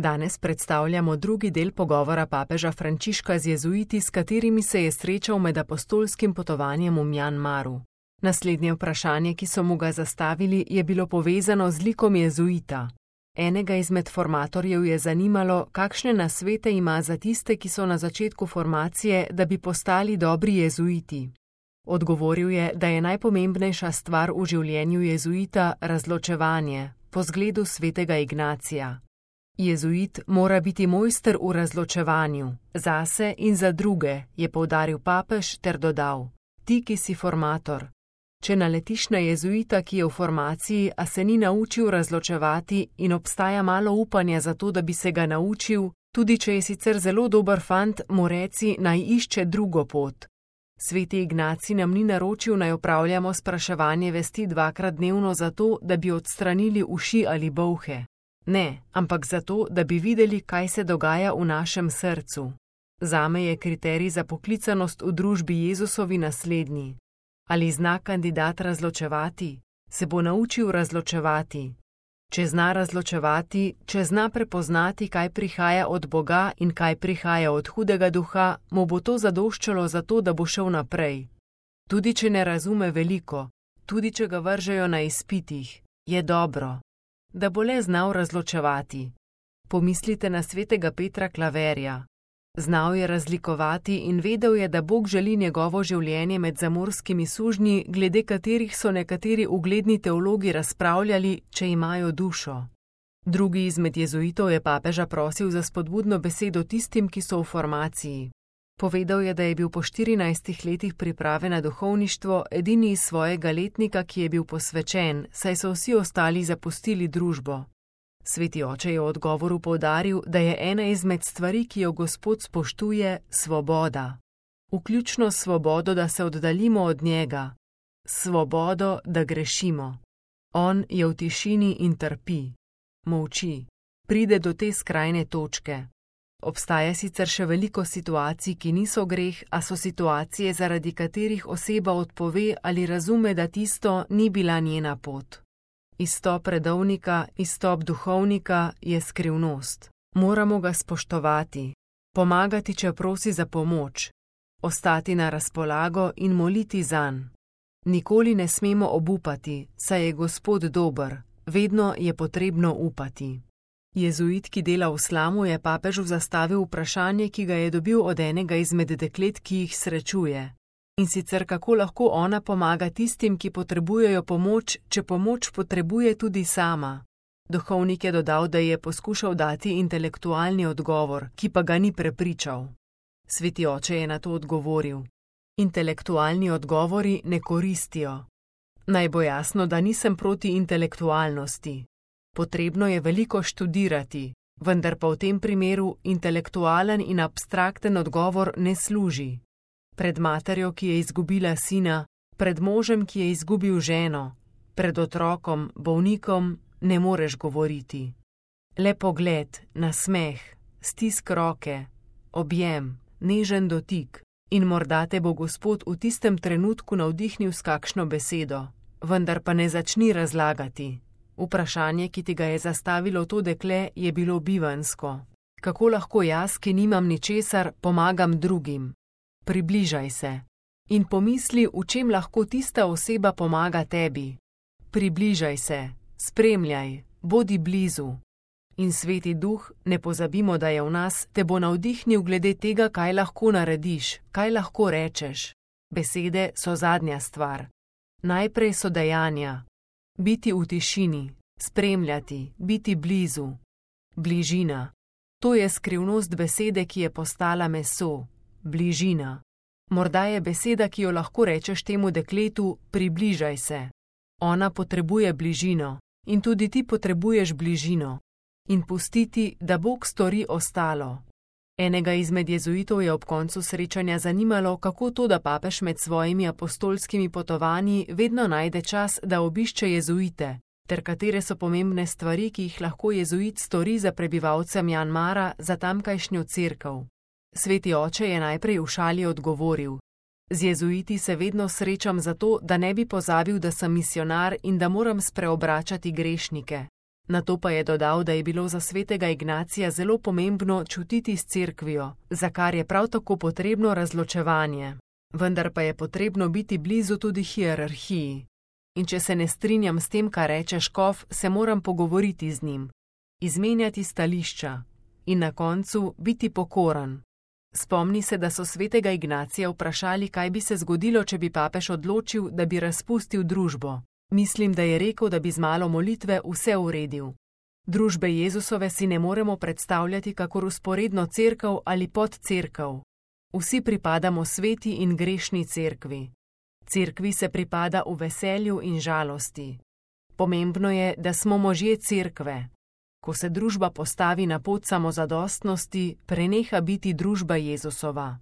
Danes predstavljamo drugi del pogovora papeža Frančiška z jezuiti, s katerimi se je srečal med apostolskim potovanjem v Mjanmaru. Naslednje vprašanje, ki so mu ga zastavili, je bilo povezano z likom jezuita. Enega izmed formatorjev je zanimalo, kakšne nasvete ima za tiste, ki so na začetku formacije, da bi postali dobri jezuiti. Odgovoril je, da je najpomembnejša stvar v življenju jezuita razločevanje, po zgledu svetega Ignacija. Jezuit mora biti mojster v razločevanju, zase in za druge, je poudaril papež ter dodal: ti, ki si formator. Če naletiš na jezuita, ki je v formaciji, a se ni naučil razločevati in obstaja malo upanja za to, da bi se ga naučil, tudi če je sicer zelo dober fant, mu reci, naj išče drugo pot. Sveti Ignacij nam ni naročil, naj opravljamo spraševanje vesti 2krat dnevno zato, da bi odstranili uši ali bolhe. Ne, ampak zato, da bi videli, kaj se dogaja v našem srcu. Zame je kriterij za poklicanost v družbi Jezusovi naslednji. Ali zna kandidat razločevati? Se bo naučil razločevati. Če zna razločevati, če zna prepoznati, kaj prihaja od Boga in kaj prihaja od hudega duha, mu bo to zadoščalo za to, da bo šel naprej. Tudi če ne razume veliko, tudi če ga vržejo na izpitih, je dobro, da bo le znal razločevati. Pomislite na svetega Petra Klaverja. Znal je razlikovati in vedel je, da Bog želi njegovo življenje med zamorskimi sužnji, glede katerih so nekateri ugledni teologi razpravljali, če imajo dušo. Drugi izmed jezuitov je papeža prosil za spodbudno besedo tistim, ki so v formaciji. Povedal je, da je bil po 14 letih priprave na duhovništvo edini iz svojega letnika, ki je bil posvečen, saj so vsi ostali zapustili družbo. Sveti oče je v odgovoru poudaril, da je ena izmed stvari, ki jo Gospod spoštuje, svoboda. Vključno svobodo, da se oddaljimo od njega. Svobodo, da grešimo. On je v tišini in trpi. Molči. Pride do te skrajne točke. Obstaja sicer še veliko situacij, ki niso greh, a so situacije, zaradi katerih oseba odpove ali razume, da tisto ni bila njena pot. Izstop redovnika, izstop duhovnika je skrivnost. Moramo ga spoštovati, pomagati, če prosi za pomoč, ostati na razpolago in moliti zanj. Nikoli ne smemo obupati, saj je Gospod dober, vedno je potrebno upati. Jezuit, ki dela v Slamu, je papežu zastavil vprašanje, ki ga je dobil od enega izmed deklet, ki jih srečuje. In sicer kako lahko ona pomaga tistim, ki potrebujejo pomoč, če pomoč potrebuje tudi sama. Duhovnik je dodal, da je poskušal dati intelektualni odgovor, ki pa ga ni prepričal. Sveti oče je na to odgovoril: intelektualni odgovori ne koristijo. Naj bo jasno, da nisem proti intelektualnosti. Potrebno je veliko študirati, vendar pa v tem primeru intelektualen in abstrakten odgovor ne služi. Pred materjo, ki je izgubila sina, pred možem, ki je izgubil ženo, pred otrokom, bolnikom, ne moreš govoriti. Le pogled, nasmeh, stisk roke, objem, nežen dotik in morda te bo Gospod v tistem trenutku navdihnil s kakšno besedo, vendar pa ne začni razlagati. Vprašanje, ki ti ga je zastavilo to dekle, je bilo bivanjsko. Kako lahko jaz, ki nimam ničesar, pomagam drugim? Približaj se in pomisli, v čem lahko tista oseba pomaga tebi. Približaj se, spremljaj, bodi blizu. In Sveti Duh, ne pozabimo, da je v nas, te bo navdihnil glede tega, kaj lahko narediš, kaj lahko rečeš. Besede so zadnja stvar. Najprej so dejanja. Biti v tišini, spremljati, biti blizu. Bližina. To je skrivnost besede, ki je postala meso. Bližina. Morda je beseda, ki jo lahko rečeš temu dekletu, približaj se. Ona potrebuje bližino in tudi ti potrebuješ bližino. In pustiti, da Bog stori ostalo. Enega izmed jezuitov je ob koncu srečanja zanimalo, kako to, da papež med svojimi apostolskimi potovanji vedno najde čas, da obišče jezuite, ter katere so pomembne stvari, ki jih lahko jezuit stori za prebivalce Mjanmara, za tamkajšnjo cerkev. Sveti oče je najprej v šali odgovoril: z jezuiti se vedno srečam zato, da ne bi pozabil, da sem misionar in da moram spreobračati grešnike. Nato pa je dodal, da je bilo za svetega Ignacija zelo pomembno čutiti s cerkvijo, za kar je prav tako potrebno razločevanje. Vendar pa je potrebno biti blizu tudi hierarhiji. In če se ne strinjam s tem, kar reče škof, se moram pogovoriti z njim, izmenjati stališča in na koncu biti pokoran. Spomni se, da so svetega Ignacija vprašali, kaj bi se zgodilo, če bi papež odločil, da bi razpustil družbo. Mislim, da je rekel, da bi z malo molitve vse uredil. Družbe Jezusove si ne moremo predstavljati kakor vzporedno cerkev ali podcerkev. Vsi pripadamo sveti in grešni cerkvi. Cerkvi se pripada v veselju in žalosti. Pomembno je, da smo možje cerkve. Ko se družba postavi na pot samozadostnosti, preneha biti družba Jezusova.